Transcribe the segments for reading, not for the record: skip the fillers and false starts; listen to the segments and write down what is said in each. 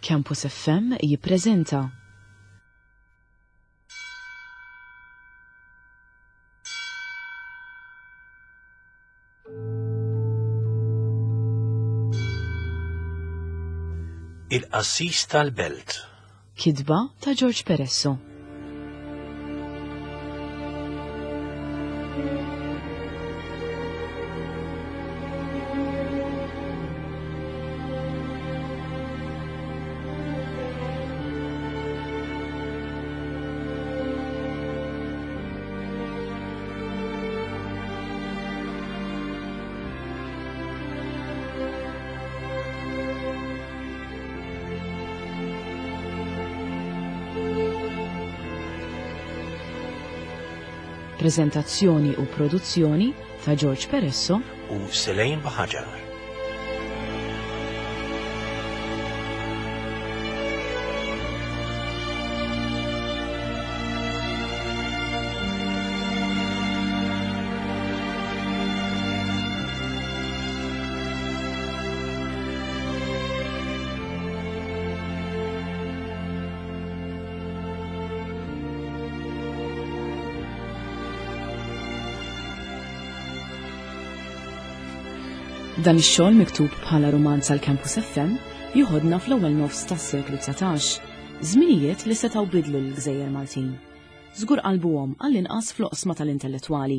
Campus FM jippreżenta. Il-Qassis tal-Belt. Kitba ta' George Peresso. Prezentazzjoni u produzzjoni ta' George Peresso u Selene Baħaġar. Dan ix-xogħol miktub bħala rumanz għal Campus FM joħodna fl-ewwel nofs tas-seklu 19, żminijiet li setgħu bidlu l-gżejjer Maltin. Żgur qalbuhom għall-inqas fl-oqsma tal-intellettwali.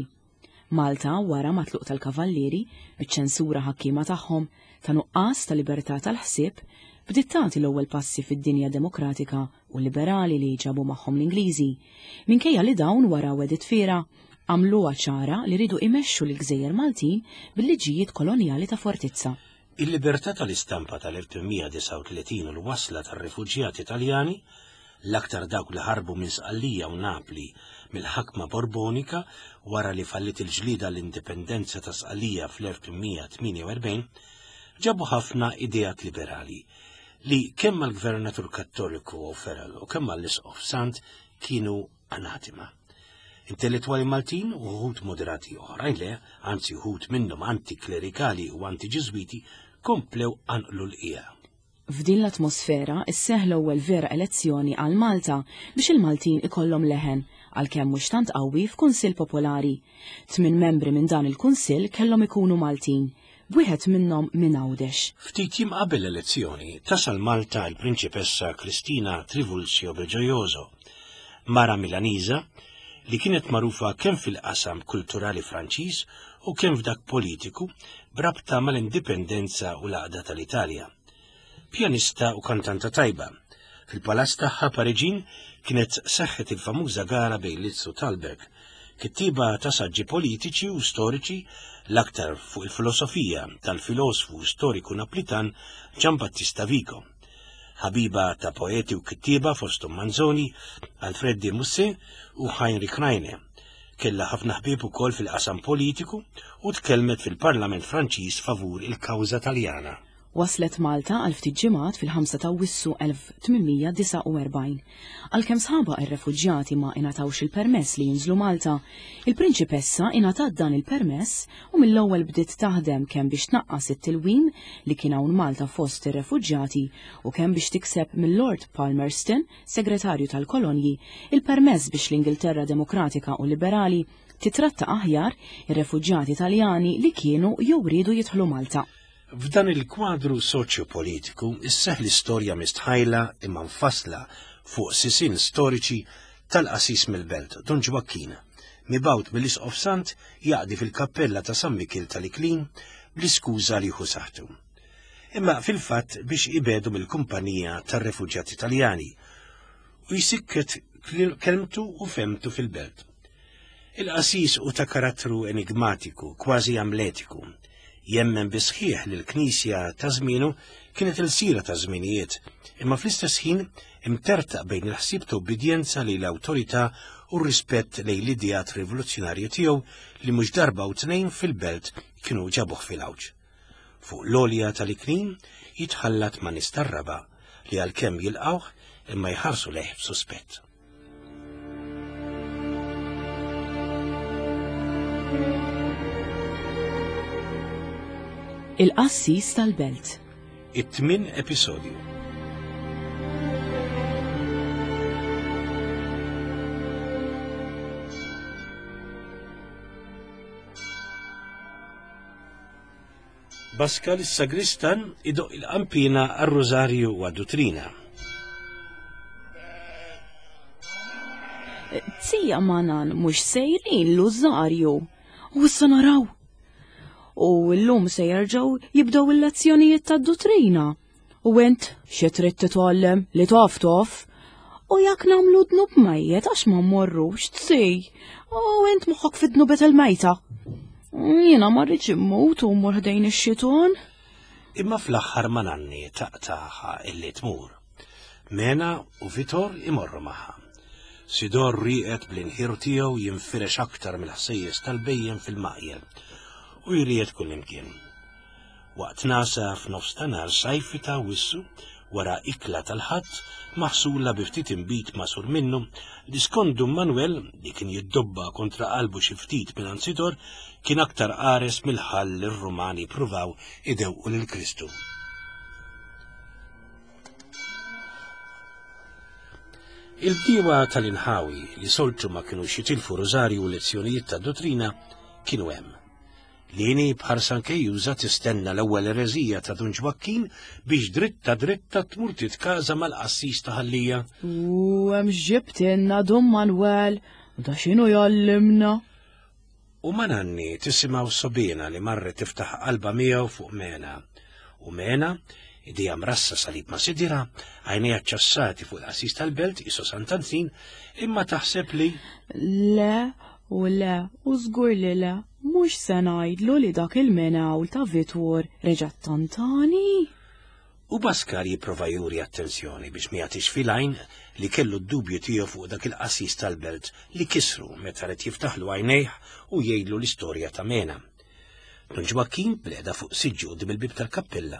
Malta wara mat-tluq tal-Kavallieri, biċ-ċensura ħakkiema tagħhom, ta' nuqqas ta' libertà tal-ħsieb, bdiet tagħti l-ewwel passi fid-dinja demokratika u liberali li ġabu magħhom l-Ingliżi, minkejja li dawn wara wegħdiet fiergħa, għamluha ċara li riedu imexxu lill-gżejjer Maltin bil-liġijiet kolonjali ta' fortizza. Il-libertà tal-istampa tal-1839 u l-wasla tar-rifuġjati Taljani, l-aktar dawk li ħarbu minn Sqallija u Napli mill-ħakma Borbonika wara li falliet il-ġlieda għall-indipendenza ta' Sqallija fl-1848, ġabu ħafna ideat liberali li kemm għall-Gvernatur Kattoliku O'Farrell u kemm għall-Isqof Sant kienu anatima. Intellettwali Maltin u wħud moderati oħrajn le, anzi wħud minnhom antiklerikali u antiġiżwiti, komplew qanqlu l-qiegħa. F'din l-atmosfera sseħħ l-ewwel vera elezzjoni għal Malta biex il-Maltin ikollhom leħen, għalkemm mhux tant qawwi f'Kunsill Popolari. Tminn membri minn dan il-Kunsill kellhom ikunu Maltin, b'wieħed minnhom minn Għawdex. Ftit jiem qabel l-elezzjoni, tasal Malta l-Prinċipessa Cristina Trivulzio Belgiojoso, mara Milaniża li kienet magħrufa kemm fil-qasam kulturali Franċiż u kemm f'dak politiku b'rabta mal-indipendenza u l-għaqda tal-Italja. Pjanista u kantanta tajba. Fil-palazz tagħha Pariġin kienet seħħet il-famuża gara bejn Liszt u Thalberg, kittieba ta' saġġi politiċi u storiċi l-aktar fuq il-filosofija tal-filosfu storiku Naplitan Gian Battista Vico. Ħabiba ta' poeti u kittieba fosthom Manzoni, Alfred de Musset u Heinrich Heine. Kellha ħafna ħbieb ukoll fil-qasam politiku u tkellmet fil-Parlament Franċiż favur il-kawża Taljana. Waslet Malta għal ftit ġimgħat fil-5 ta' Awwissu 1849. Għalkemm sħabha r-refuġjati ma ingħatawx il-permess li jinżlu Malta, il-Prinċipessa ingħatat dan il-permess u mill-ewwel bdiet taħdem kemm biex tnaqqas it-tilwim li kien hawn Malta fost ir-refuġjati u kemm biex tikseb mil-Lord Palmerston, Segretarju tal-Kolonji, il-permess biex l-Ingilterra Demokratika u Liberali titratta aħjar ir-refuġjati Taljani li kienu jew riedu jidħlu Malta. F'dan il-kwadru soċjopolitiku isseħħ l-istorja mistħajla imma mfassla fuq sisien storiċi tal-qassis mill-belt, Dun Ġwakkin, mibgħut mill-Isqof Sant jaqdi fil-kappella ta' San Mikiel tal-Iklin bl-iskuża li jieħu saħħtu. Imma fil-fatt biex ibedu mill-kumpanija tar-refuġjati Taljani u jsikket kelmtu u femtu fil-belt. Il-qassis hu ta' karattru enigmatiku, kważi amletiku. Jemmen bis-sħiħ li l-Knisja ta' żmienu kienet ilsira ta' żminijiet, imma fl-istess ħin imtertaq bejn il-ħsieb ta' ubbidjenza lejn l-awtorità u r-rispett lejn l-ideat rivoluzzjonarji tiegħu li mhux darba u tnejn fil-belt kienu ġabuh fil-għawġ. Fuq l-għolja tal-Iklin jitħallat ma' nies tar-raba' li għalkemm jilqgħuh imma jħarsu lejh b'suspett. Il-Qassis tal-Belt. It-tmien episodju. Baskal is-sagristan idoqq il-qanpiena għar-Rużarju u għad-Dutrina. Zija Manan mhux sejrin l-Użarju. U issa naraw. U llum se jerġgħu jibdew il-lezzjonijiet tad-dutrina. U int xi trid titgħallem li taf taf. U jekk nagħmlu dnub mejjet għax ma mmorrux tsi. U int moħħok fid-dnubet il-mejta. Jiena ma rridx immut u mmur ħdejn ix-xiton. Imma fl-aħħar ma nanni taqtaħa illi tmur. Mena u Vitor imorru magħha. Sidor rieqed bl-inħir tiegħu jinfirex aktar mill-ħsejjes tal-bejjem fil-maqjel u jried kullimkien. Waqt nagħsa f'nofs ta' nhar sajfi ta' Awwissu, wara ikla tal-Ħadd maħsula bi ftit inbid magħsur minnu, li skont Dun Manwel, li kien jiddobba kontra qalbu xi ftit mingħand Sidor, kien aktar qares mill-ħall li r-Rumani ppruvaw idewqu lil Kristu. Il-bdiewa tal-inħawi li soltu ma kinux jitilfu rużarju u lezzjonijiet ta' dottrina kienu hemm. Lini b'ħarsa nkejjuża tistenna l-ewwel ereżija ta' Dun Ġwakkin biex dritta dritta tmur titkaża mal-qassis ta' Ħal-Lija. U hemm x'ġibtilna Dun Manwel, u da x'inhu jgħallimna? U ma' Nanni tisimgħu Sobina li marret tiftaħ qalbha miegħu fuq Mena. U Mena, idejha mrassa salib ma' sidirha, għajnejha ċċassati fuq il-qassis tal-belt qisu Sant'Antin, imma taħseb li. Le, U le, u żgur li le, mhux se ngħidlu li dak il-mingħul ta' Vitor reġa' ttantani. U Baskar jipprova juri attenzjoni biex ma jagħtix fil-għajn li kellu d-dubju tiegħu fuq dak il-qassis tal-belt li kisru meta ried jiftaħlu għajnejh u jgħidlu l-istorja ta' Mena. Dun Ġwakkin bil-qegħda fuq siġġu quddiem il-bieb tal-kappella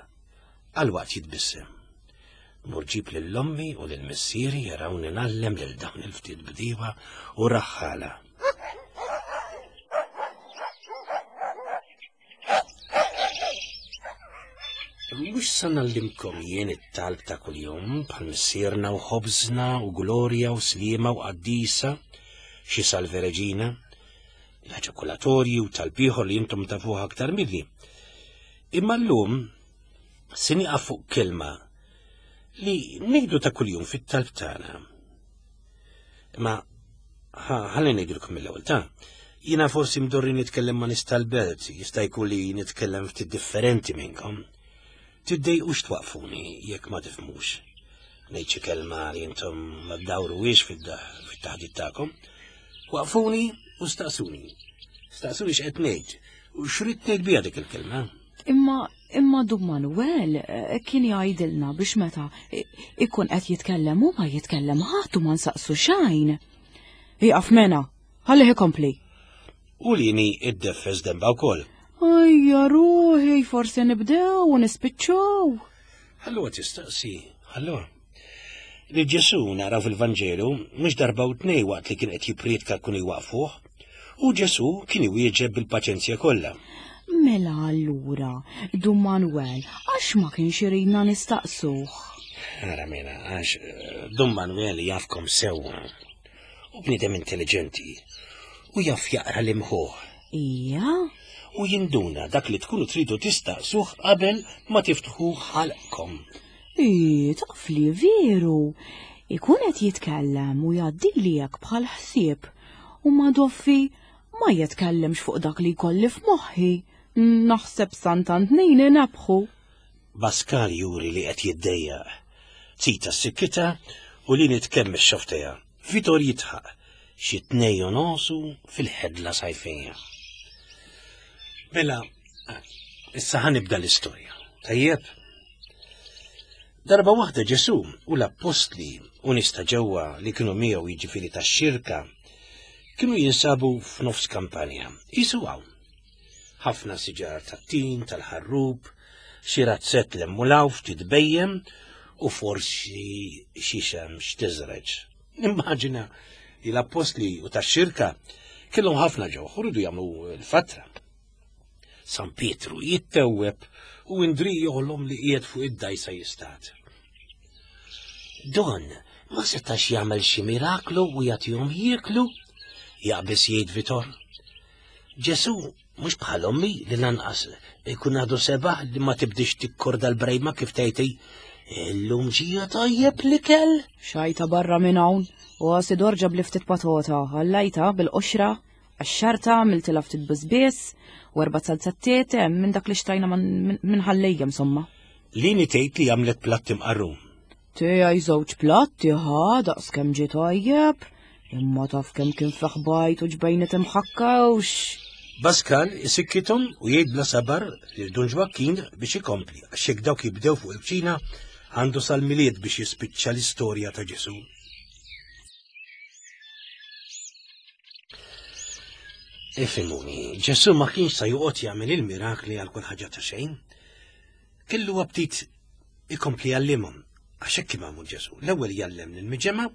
għal waqt jitbissem. Mur ġib lil ommi u lil missieri jarawni ngħallem lil dawn il-ftit bdiewa u raħħala. Mhux sa nallimkom jien it-talb ta' kuljum bħal missierna u ħobżna u glorja u sliema u qaddisa, xi Salve Reġina, l-eġakulatorji u talb ieħor li intom tafuh aktar milli. Imma llum Se nieqaf fuq kelma li ngħidu ta' kuljum fit-talb tagħna. Imma ħalli ngħidilkom mill-ewwel ta' jiena forsi mdorri nitkellem ma' nies tal-belt, jista' jkun li nitkellem ftit differenti minnkom. Tiddejqux twaqfuni jekk ma tifhmux. Ngħid xi kelma li intom ma ddawruhiex fit-taħdit tagħkom. Waqfuni u staqsuni. Staqsuni x'qed ngħid u x'rid ngħid biha dik il-kelma. Imma imma Dun Manuel eh, kien jgħidilna biex meta ikun qed jitkellem hu ma jitkellem ħadd u ma nsaqsu xejn. Iqaf mena, ħallih ikompli. U lini id-deffes demba wkoll. Ejja ruħi, forsi nibdew u nispiċċaw. Allura tistaqsi, allura. Li Ġesù naraw fil-Vanġelu mhux darba u tnej waqt li kien qed jipprietka kienu jwaqfuh, u Ġesù kien iwieġeb bil-paċenzja kollha. Mela allura, Dun Manuel, għax ma kienx iridna nistaqsuh? Ara mela, għax eh, Dun Manuel jafkom sewwa. U bniedem intelligenti. U jaf jaqra l-imħuħ. Ija? U jinduna dak li tkunu tridu tistaqsuh qabel ma tiftħu ħalqkom. Ii, taf li veru. Ikun qed jitkellem u jgħaddili hekk bħal ħsieb u ma doffi ma jitkellimx fuq dak li jkolli f'moħħi. Naħseb Sant'Antnin inebħu. Baskal juri li qed jiddejjaq. Zita sikkita u li nitkemmex xofteja. Vitor jidħaq xi tnej u nosu fil-ħedla sajfija. Mela, issa ħanibda l-istorja. Tajjeb? Darba waħda Ġesù u l-appostli u nies ta' ġewwa li kienu miegħu jiġifieri tax-xirka kienu jinsabu f'nofs kampanja. Qisu hawn. Ħafna siġar tat-tin, tal-ħarrub, xi razzett l-hemm ftit bejjem u forsi xi xemx tiżreġ. Nimmaġina li l-appostli u tax-xirka kellhom ħafna ġewħ u rridu jagħmlu l-fatra. San Pietru jittewweb u Indri joħlom li qiegħed fuq id-dajsa jistad. Don ma setax jagħmel xi miraklu u jagħtihom jieklu, jaqbeż jgħid Vitor. Ġesù Mhux bħal ommi li lanqas ikun għadu sebaħ li ma tibdix tikkorda l-brejma kif tgħidti. Illum ġija tajjeb l-ikel. Xajta barra minn hawn u għasi dorġa bli ftit patota, għallajta bil-qoxra, għax-xarta għamiltilha ftit biżbies u erba' salzattiet hemm minn dak li xtrajna minn ħallejja insomma. Lini tgħid li għamlet platt imqarrum. Tiegħi żewġ platti ħa daqs kemm ġie tajjeb, imma taf kemm kien fih bajt u ġbejnet imħakkawx. Baskal isikkithom u jgħid bla sabar lil Dun Ġwakkin biex ikompli għax jekk dawk jibdew fuq il-kċina għandu sal-Milied biex jispiċċa l-istorja ta' Ġesù. Ifhimuni, Ġesù ma kienx sa joqgħod jagħmel il-mirakli għal kull ħaġa ta' xejn. Kellu aptit ikompli jgħallimhom, għax hekk kien magħmul Ġesù. L-ewwel jgħallem lill-miġemgħa,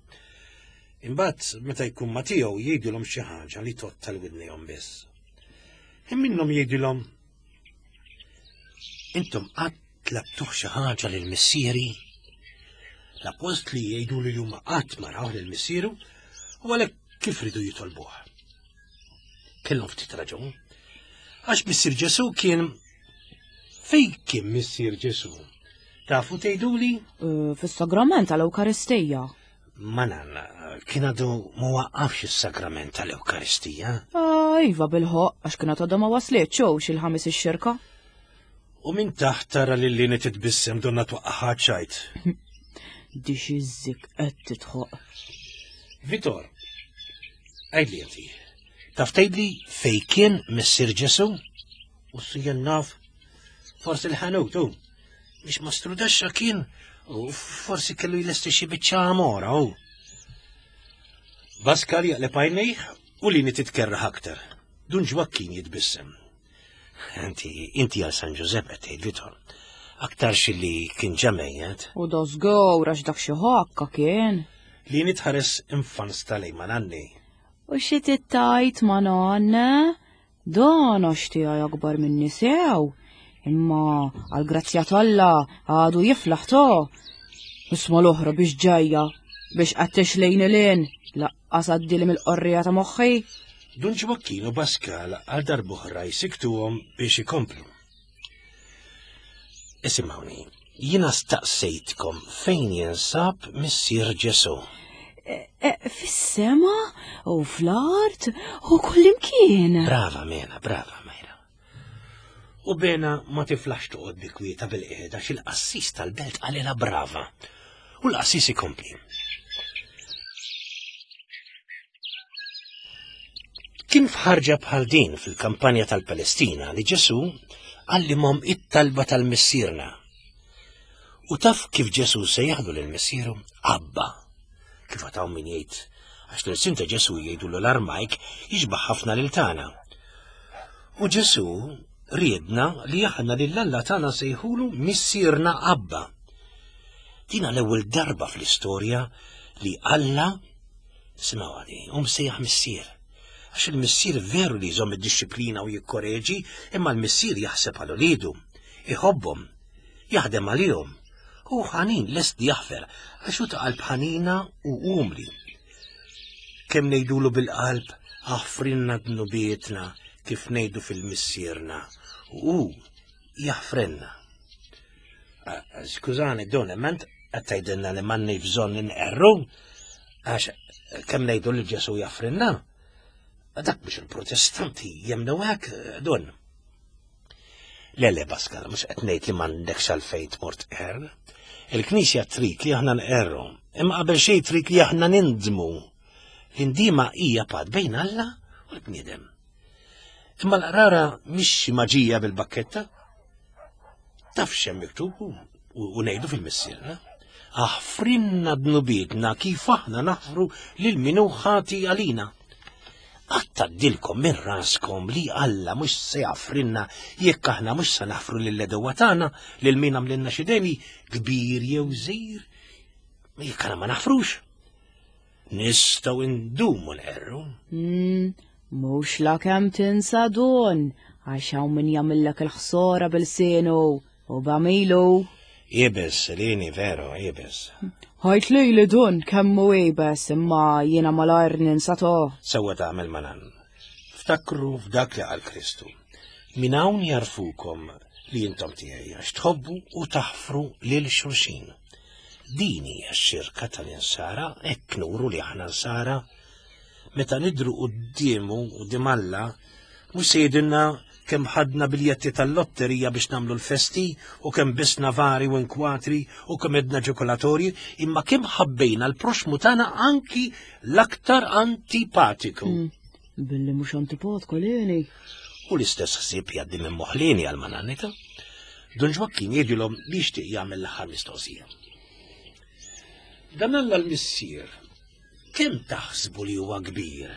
imbagħad meta jkun ma' tiegħu jgħidilhom xi ħaġa li tgħodd tal-widnejhom biss. Hemm minnhom jgħidilhom Intom qatt tlabtuh xi ħaġa lil missieri? L-appostli jgħidu li huma qatt ma rawh lil missieru u għalhekk kif ridu jitolbuh. Kellhom ftit raġun. Għax missier Ġesù kien Fejn kien missier Ġesù? Tafu tgħiduli? Eh, fis-sagrament tal-Ewkaristija. Ma nanna, kien għadu ma waqqafx is-sagrament tal-Ewkaristija. Ah, iva bil-ħoq, għax kienet għadha ma waslitx hux il-ħamis ix-xirka. U minn taħt tara lil Lini titbissem donna twaqqaħa ċajt. Dix iż-zik qed titħoq. Vitor, għidli inti, taf tgħidli fejn kien missier Ġesù? U s-sijjen naf, forsi l-ħanut, u biex mastru daxxa kien, u forsi kellu jlesti xi biċċa għamora, u. Baskal jaqleb għajnejh u lini titkerraħ aktar. Dun Ġwakkin jitbissem. Inti, inti għal San Ġużeppe tgħid Vitor. Aktar xilli kien ġamejjet. U da żgur għax dak xi ħakka kien. Li nitħares infans tal ma nanni. U xi tittajt ma nanna? Dan għax tiegħi akbar minni sew, imma għall-grazzja t'Alla għadu jiflaħ to. Isma l-oħra biex ġajja, biex qed lejn il-in, laqqas għaddili mill-qorrija ta' moħħi. Dun Ġwakkin u Baskal għal darb'oħra jsiktuhom biex ikomplu. Isimgħuni, jiena staqsejtkom fejn jinsab missier Ġesù. E, e, fis-sema u fl-art u kullimkien. Brava Mena, brava Mejra. U Bena ma tiflax toqgħod bi kwieta bil-qiegħda xil-qassis tal-belt qalilha brava. U l-qassis ikompli. Kien f'ħarġa bħal din fil-kampanja tal-Palestina li Ġesù għallimhom it-talba tal-Missierna. U taf kif Ġesù se jaħdu lil Missieru? Abba. Kif għataw min jgħid, għax l-irsin ta' Ġesù jgħidu l-Armajk jixbaħ ħafna lil tagħna. U Ġesù riedna li aħna lil Alla tagħna sejħulu Missierna Abba. Dina l-ewwel darba fl-istorja li Alla Simgħu għadi, u msejjaħ missier. Għax il-missier veru li jżomm id-dixxiplina u jikkoreġi, imma l-missier jaħseb għal uliedu, iħobbhom, jaħdem għalihom. Hu ħanin lest li jaħfer, għax hu ta' qalb ħanina u umli. Kemm ngħidulu bil-qalb aħfrilna dnubietna kif ngħidu fil-missierna, u jaħfrilna. Skużani, Don, imma int qed tgħidilna li m'għandniex bżonn inqerru għax kemm ngħidu li Ġesu jaffrinna. Dak biex il-Protestanti jemnu hekk, Don. Le, le, Pascal, mhux qed ngħid li m'għandekx għalfejn tmur tqerr. Il-Knisja trid li aħna nqerru, imma qabel xejn trid li aħna nindmu. L-indima hija pad bejn Alla u l-bniedem. Imma l-qrara mhix xi maġija bil-bakketta. Taf x'hemm miktub u ngħidu fil-missierna. Aħfrinna dnubietna kif aħna naħfru lil min hu ħati għalina. Qatt tgħaddilkom minn raskom li Alla mhux se jaffrinna jekk aħna mhux se naħfru lill-edewwa tagħna lil min għamlilna xi deni kbir jew żgħir. Jekk aħna ma naħfrux, Nistgħu ndumu nqerru. Mm, mhux la kemm tinsa dun, għax hawn min jagħmillek il-ħsora bil-sienu u b'għamilu. Ibes, lini veru, ibes. Ħajt li li dun kemm hu ibes imma jiena malajr ninsa to. Sewwa tagħmel manan. Ftakru f'dak li qal Kristu. Minn hawn jarfukom li intom tiegħi għax tħobbu u taħfru lil xulxin. Din hija x-xirka tal-insara, hekk nuru li aħna nsara. Meta nidru quddiemu quddiem Alla, mhux se jgħidilna kemm ħadna biljetti tal-lotterija biex nagħmlu l-festi u kemm bisna vari u inkwatri u kemm edna ġokolatorji, imma kemm ħabbejna l-proxmu tagħna anki l-aktar antipatiku. Mm. Billi mhux antipatku lini. U l-istess ħsieb jgħaddi minn moħlini għal manannita. Dun Ġwakkin jgħidilhom li jixtieq jagħmel l-aħħar mistoqsija. Dan Alla l-Missier kemm taħsbu li huwa kbir?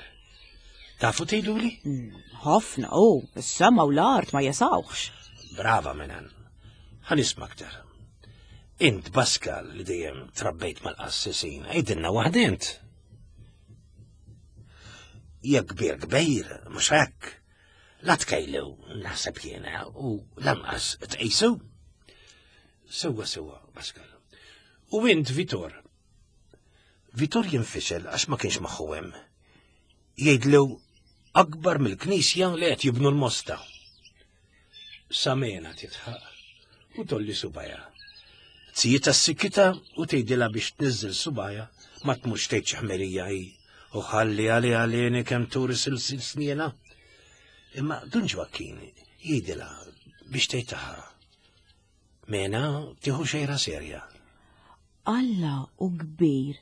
Tafu tgħiduli? Hmm, ħafna u, is-sema u l-art ma jesawx. Brava menan. Ħa nisma' aktar. Int Pascal li dejjem trabbejt mal-qassisin, għidilna waħda int. Jekk kbir kbir, mhux hekk. La tkejlu, naħseb jiena, u lanqas tqisu. Sewwa sewwa, Pascal. U int Vitor. Vitor jinfixel għax ma kienx moħħu hemm. Jgħidlu akbar mill-knisja li qed jibnu l-mosta. Samena titħaq u tolli subajha. Tzijiet s-sikkita u tgħidilha biex tniżżel subajha ma tmurx tgħid xi ħmerija hi u ħalli għali għalini kemm turi silsil sniena. Imma Dun Ġwakkin jgħidilha biex tgħid taħa. Mena tieħu xejra serja. Alla u kbir,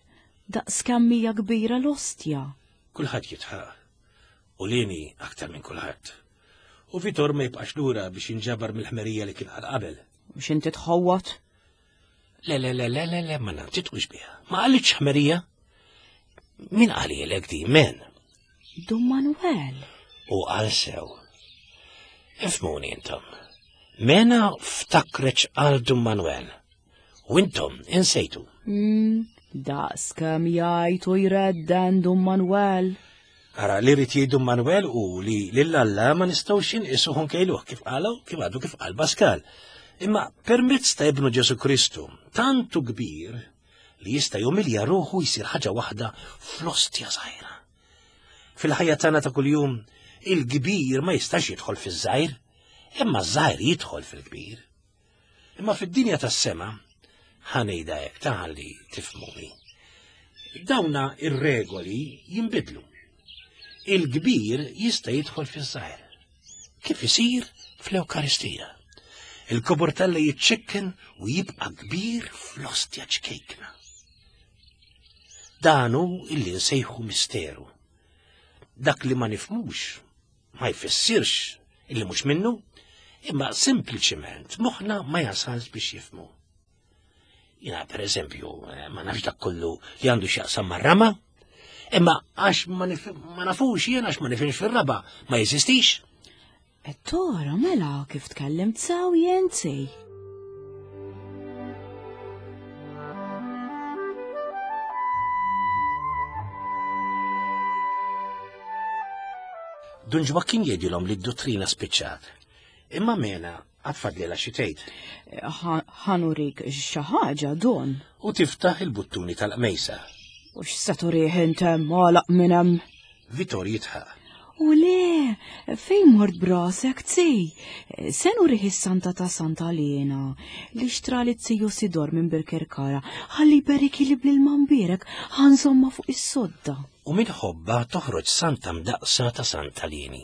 daqs kemm hija kbira l-ostja. Kulħadd jitħaq. U lini aktar minn kulħadd. U Vitor ma jibqax lura biex jinġabar mill-ħmerija li kien qal qabel. Mhux inti tħawwat? Le, le, le, le, le, le, ma titqux biha. Ma qalitx ħmerija. Min qalilek di, men? Dun Manuel. U qal sew. Ifmuni intom. Mena ftakreċ għal Dun Manuel. U intom insejtu. Mm, daqs kemm jgħid u jredden Dun Manuel. Ara li rrid jgħid Dun Manuel u li lil Alla ma nistgħux inqisuh nkejluh kif qalu kif għadu kif qal Pascal. Imma permezz ta' ibnu Ġesu Kristu, tantu kbir li jista' jumilja ruħu jsir ħaġa waħda fl-ostja żgħira. Fil-ħajja tagħna ta' kuljum, il-kbir ma jistax jidħol fiż-żgħir, imma ż-żgħir jidħol fil-kbir. Imma fid-dinja tas-sema, ħanejda hekk taħalli tifhmuni. Dawna ir-regoli jinbidlu. Il-kbir jista' jidħol fiż-żgħir. Kif isir fl-Ewkaristija. Il-kobor talla jiċċekken u jibqa' kbir fl-ostja ċkejkna. Dan hu illi nsejħu misteru. Dak li ma nifmux ma jfissirx illi mhux minnu, imma sempliċement moħħna ma jasalx biex jifmu. Jina, per eżempju, eh, ma nafx dak kollu li għandu x'jaqsam mar-rama, imma għax ma nafux jien għax ma nifhimx fir-raba, ma jeżistix. Et tora mela kif tkellimt sew jenzi. Dun Ġwakkin jgħidilhom li d-dottrina spiċċat. Imma mena għad fadlilha xi tgħid. Ħanurik xi ħaġa don. U tiftaħ il-buttuni tal-qmejsa. U x'se turih int hemm għalaq minn hemm? Vitor jitħaq. U le, fejn mort brasek tzi? Se nurih is-santa ta' Santa Lena li xtra li tiju Sidor minn Birkerkara ħalli jberiki li bl-ilma mbierek ħanżomma fuq is-sodda. U minn ħobba toħroġ santa mdaqsa ta' Santa Lieni.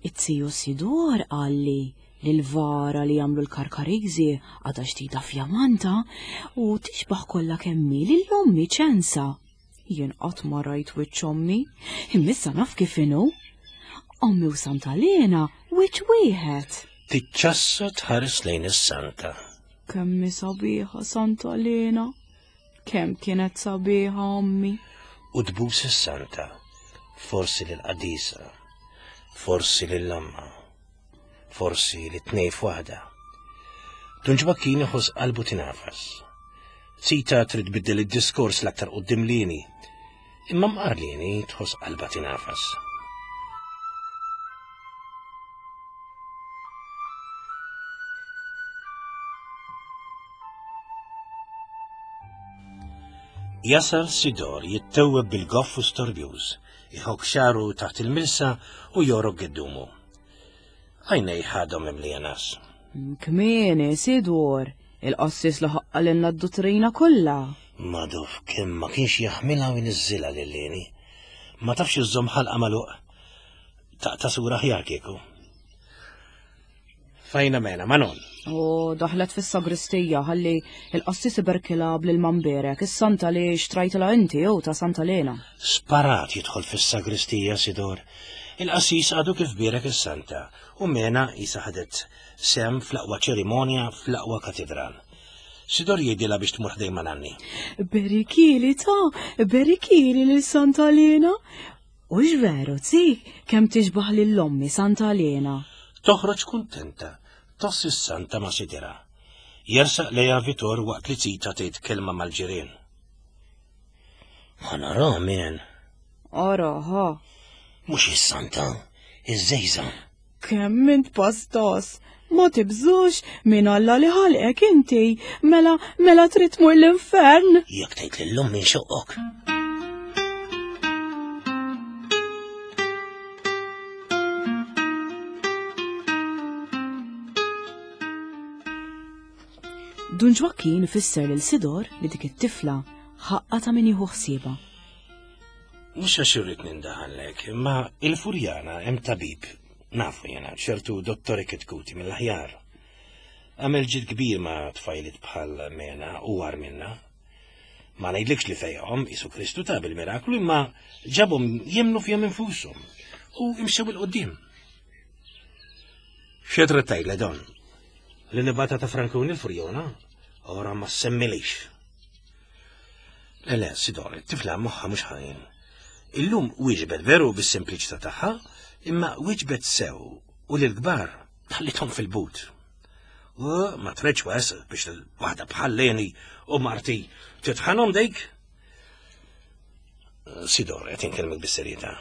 It-tiju Sidor qalli li l-vara li jagħmlu l-Karkariżi għadha ġdida fjamanta u tixbaħ kollha kemm hi lil ommi ċensa. Jien qatt ma rajt wiċċ ommi, imma issa naf kif inhu. Ommi u Santa Lena wiċċ wieħed. Tiċċassa tħares lejn is-santa. Kemm hi sabiħa Santa Lena. Kemm kienet sabiħa ommi. U tbus is-santa, forsi lill-qadisa, forsi lill-omma. Forsi li tnej f'waħda. Dun Ġwakkin iħoss qalbu tinafas. Zita trid tbiddel id-diskors l-aktar qudiem lini, imma mqar lini tħoss qalba tinafas. Jasal Sidor jittewweb bil-goff u storbjuż, iħok xaru taħt il-milsa u jorok geddumu. Għajnejh għadhom mimlija nas. Kmieni, Sidor, il-qassis li ħaqqalilna d-duttrina kollha. Maduf kemm ma kienx jaħmilha u jniżżilha lil Leni. Ma tafx iżżomm ħalqa magħluq. Taqta' sura aħjar kieku. Fajna mena, Manon. U daħlet fis-sagristija ħalli il-qassis iberkilha bl-ilma mberek, is-santa li xtrajtilha inti jew ta' Santa Lena. Sparat jidħol fis-sagristija Sidor. Il-qassis għadu kif bierek is-santa u Mena qisha ħadet sehem fl-aqwa ċerimonja fl-aqwa katidral. Sidor jgħidilha biex tmur ħdejn ma' nanni. Berikili ta' berikili lil Santa Lena. Hux veru, zi, kemm tixbah lil ommi Santa Lena. Toħroġ kuntenta, tgħoss is-santa ma' sidirha. Jersaq lejha Vitor waqt li Zita tgħid kelma mal-ġirien. Ħa nara min. Ara, ħa. Mhux is-santa, iż-żejża. Kemm int pastos! Ma tibżux minn Alla li ħalqek inti, mela mela trid tmur l-infern. Jekk tgħid lil ommi nxoqqok. Dun Ġwakkin ifisser lil Sidor li dik it-tifla ħaqqa ta' min jieħu ħsiebha. Mhux għax irrid nindaħallek, imma il-Furjana hemm tabib, nafu jena, ċertu dottori Kitkuti mill-aħjar. Għamel ġid kbir ma' tfajliet bħal Mena u agħar minna. Ma ngħidlikx li fejqhom Isu Kristu ta' bil-miraklu imma ġabhom jemmnu fihom infushom u imxew 'il quddiem. Xi trid tgħidle Don? Li nibgħatha ta' Frankuni l-Furjona? Ora ma semmilix. Le, le, Sidor, it-tifla moħħha mhux ħażin. Illum wieġbet veru bis-sempliċità tagħha, imma wieġbet sew u lill-kbar ħallithom fil-but. U ma tridx wes biex waħda bħal Leni u marti titħanhom dik. Sidor, qed inkellmek bis-serjetà.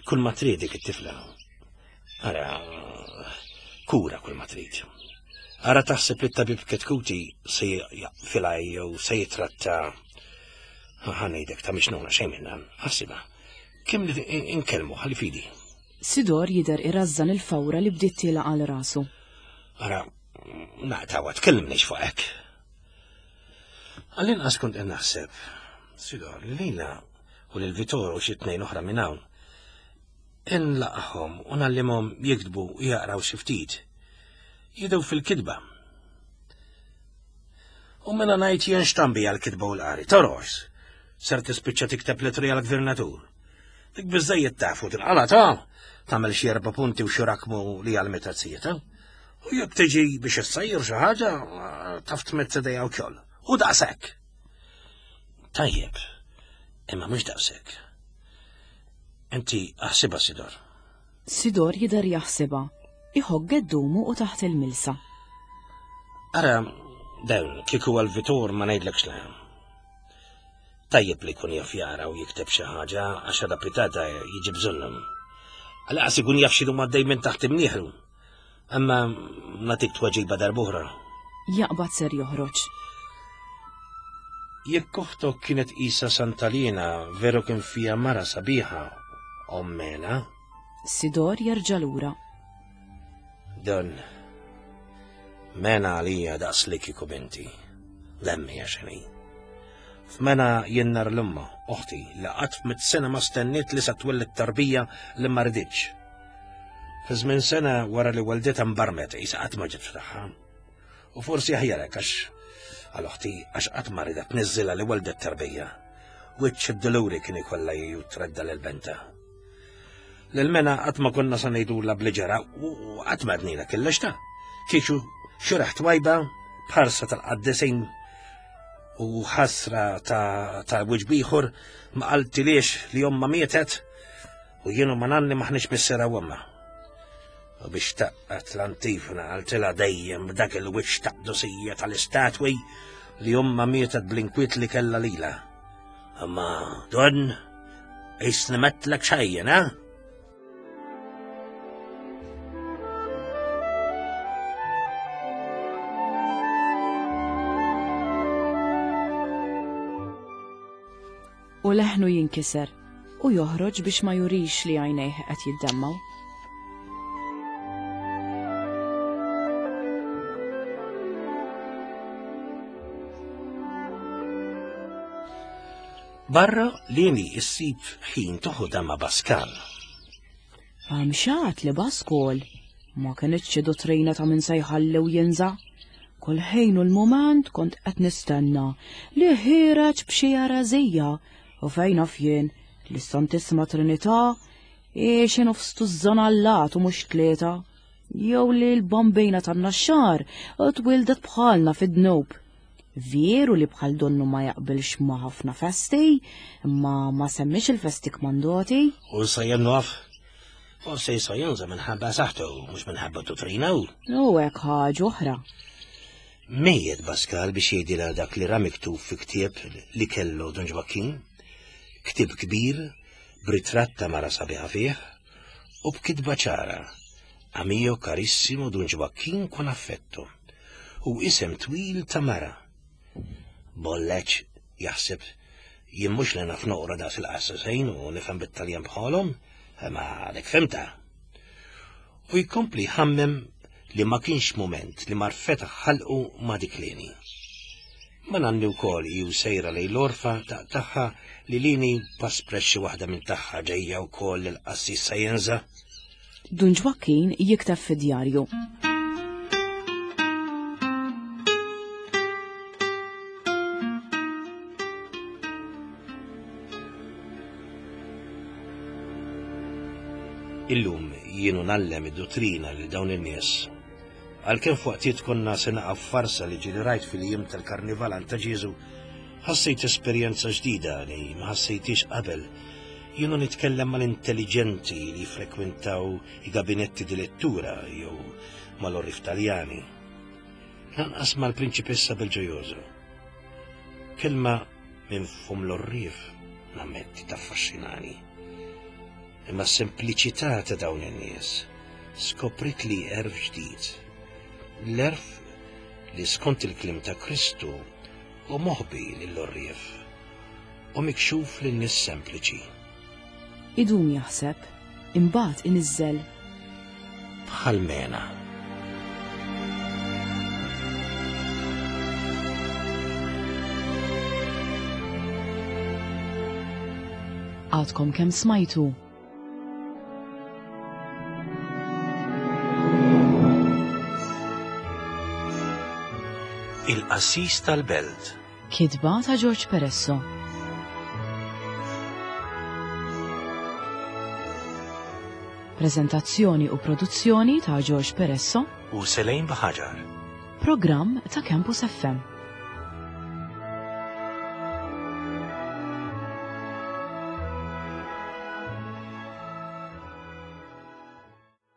Kull ma trid dik it-tifla. Ara, kura kull ma trid. Ara taħseb li t-tabib Ketkuti se jaqfilha jew se jitratta ħa ngħidek ta' mixnuna xejn minn dan, ħassibha. Kemm li inkellmu ħalli fidi. Sidor jidher irażżan il-fawra li bdiet tiela' għal rasu. Ara, naqtgħu tkellimniex fuq hekk. Għall-inqas kont qed naħseb, Sidor, li lilha u lil Vitor u xi tnejn oħra minn hawn Inlaqahom u ngħallimhom jiktbu u jaqraw xi ftit. Jidhew fil-kitba. U mela ngħid jien x'tambi għall-kitba u l-qari. Torors, ser tispiċċa tikteb litri għall-gvernatur. Dik biżżejjed taf u tinqala' ta' tagħmel xi erba' punti u xi rakmu li għal zieta. U jekk tiġi biex issajjer xi ħaġa, taf tmett idejha wkoll. U daqshekk. Tajjeb, imma mhux daqshekk. Inti aħsibha Sidor. Sidor jidher jaħsibha. Iħokk geddumu u taħt il-milsa. Ara, dawn, kieku għal Vitor ma ngħidlekx le. Tajjeb li jkun jaf jara u jikteb xi ħaġa għax għada pitata jiġi bżonnhom. Għalaqas ikun jaf x'inhu għaddej minn taħt imnieħru. Imma nagħtik tweġiba darb'oħra. Jaqbad ser joħroġ. Jekk oħtok kienet qisha Santalina veru kien fiha mara sabiħa, ommena. Sidor jerġa' lura. Don, mena għalija daqs li kieku binti. Lemmi għaxini. F'mena jien nar l-umma, oħti, li qatt f'mit sena ma stenniet li sa twelled tarbija li ma riditx. Fi żmien sena wara li welditha mbarmet qisha qatt ma ġiet tagħha. U forsi aħjar hekk għax għal oħti għax qatt ma ridet tniżżilha li weldet tarbija. Wiċċ id-duluri kien ikollha ju tredda lil benta. Lil mena qatt ma konna sa ngħidulha bli ġara u qatt ma għednilha kellex ta' kieku xi raħ twajba b'ħarsa tal-qaddisin u ħasra ta' ta' wiċċ bieħor ma qaltiliex li omma mietet U jien u ma nanni maħniex missierha u ommha. U biex taqqat l-antifona qaltilha dejjem b'dak il-wiċċ ta' qdusija tal-istatwi li omma mietet bl-inkwiet li kellha lilha. Imma don, qisni metlek xejn, eh? U leħnu jinkiser u joħroġ biex ma jurix li għajnejh qed jiddemmgħu. Barra Lini issib ħin toħodha ma' Baskal. Għamxat li Baskol ma kinitx xi dottrina ta' min se jħalli u jinża'. Kull ħin u l-mument kont qed nistenna li ħiereġ b'xi ereżija u fejn naf jien li s-Santissima Trinità hi xi nofs tużżon allat u mhux tlieta, jew li l-bambina tan-Naxxar twildet bħalna fid-dnub. Veru li bħal donnu ma jaqbilx ma' ħafna festi, imma ma semmiex il-festi kmandoti. U sa jennaf, forse jista' jinża' minħabba saħħtu mhux minħabba dottrina u. U hekk ħaġa oħra. Mejjet Pascal biex jgħidilha dak li ra miktub fi ktieb li kellu Don Ġwakkin, ktieb kbir b'ritratt ta' mara sabiħa fih u b'kitba ċara, A mio carissimo Dun Ġwakkin con affetto, u isem twil ta' mara. Bolleċ, jaħseb, jien mhux li naf noqra daqs il-qassisejn u nifhem bit-Taljan bħalhom, imma għadek fhimtha. U jkompli jħammem li ma kienx mument li mar fetaħ ħalqu ma' dik Leni. Ma nanni wkoll hi u sejra lejn l-għorfa taqtagħha li Lini paspret xi waħda minn tagħha ġejja wkoll lill-qassis Sajenza. Dun Ġwakkin jikteb fid-djarju. Illum jien u ngħallem id-duttrina lil dawn in-nies. Għalkemm f'waqtiet konna se naqa' f'farsa li ġieli rajt fil-jiem tal-Karnival għand ta' Ġieżu, ħassejt esperjenza ġdida li ma ħassejthiex qabel. Jien u nitkellem mal-intelliġenti li jiffrekwentaw i-gabinetti di lettura jew mal-orrif Taljani. Lanqas mal-Prinċipessa Belġojoso. Kelma minn fum l-orrif nammetti taffaxxinani. Imma s-sempliċità ta' dawn in-nies skoprit li erf ġdid. L-erf li skont il-kliem ta' Kristu u moħbi lill-orrief u mikxuf lin-nies sempliċi. Idum jaħseb, imbagħad iniżżel. Bħal mena. Għadkom kemm smajtu. Il-qassis tal-belt. Kitba ta' George Peresso. Prezentazzjoni u produzzjoni ta' George Peresso u Selejn Baħaġar. Programm ta' Campus FM.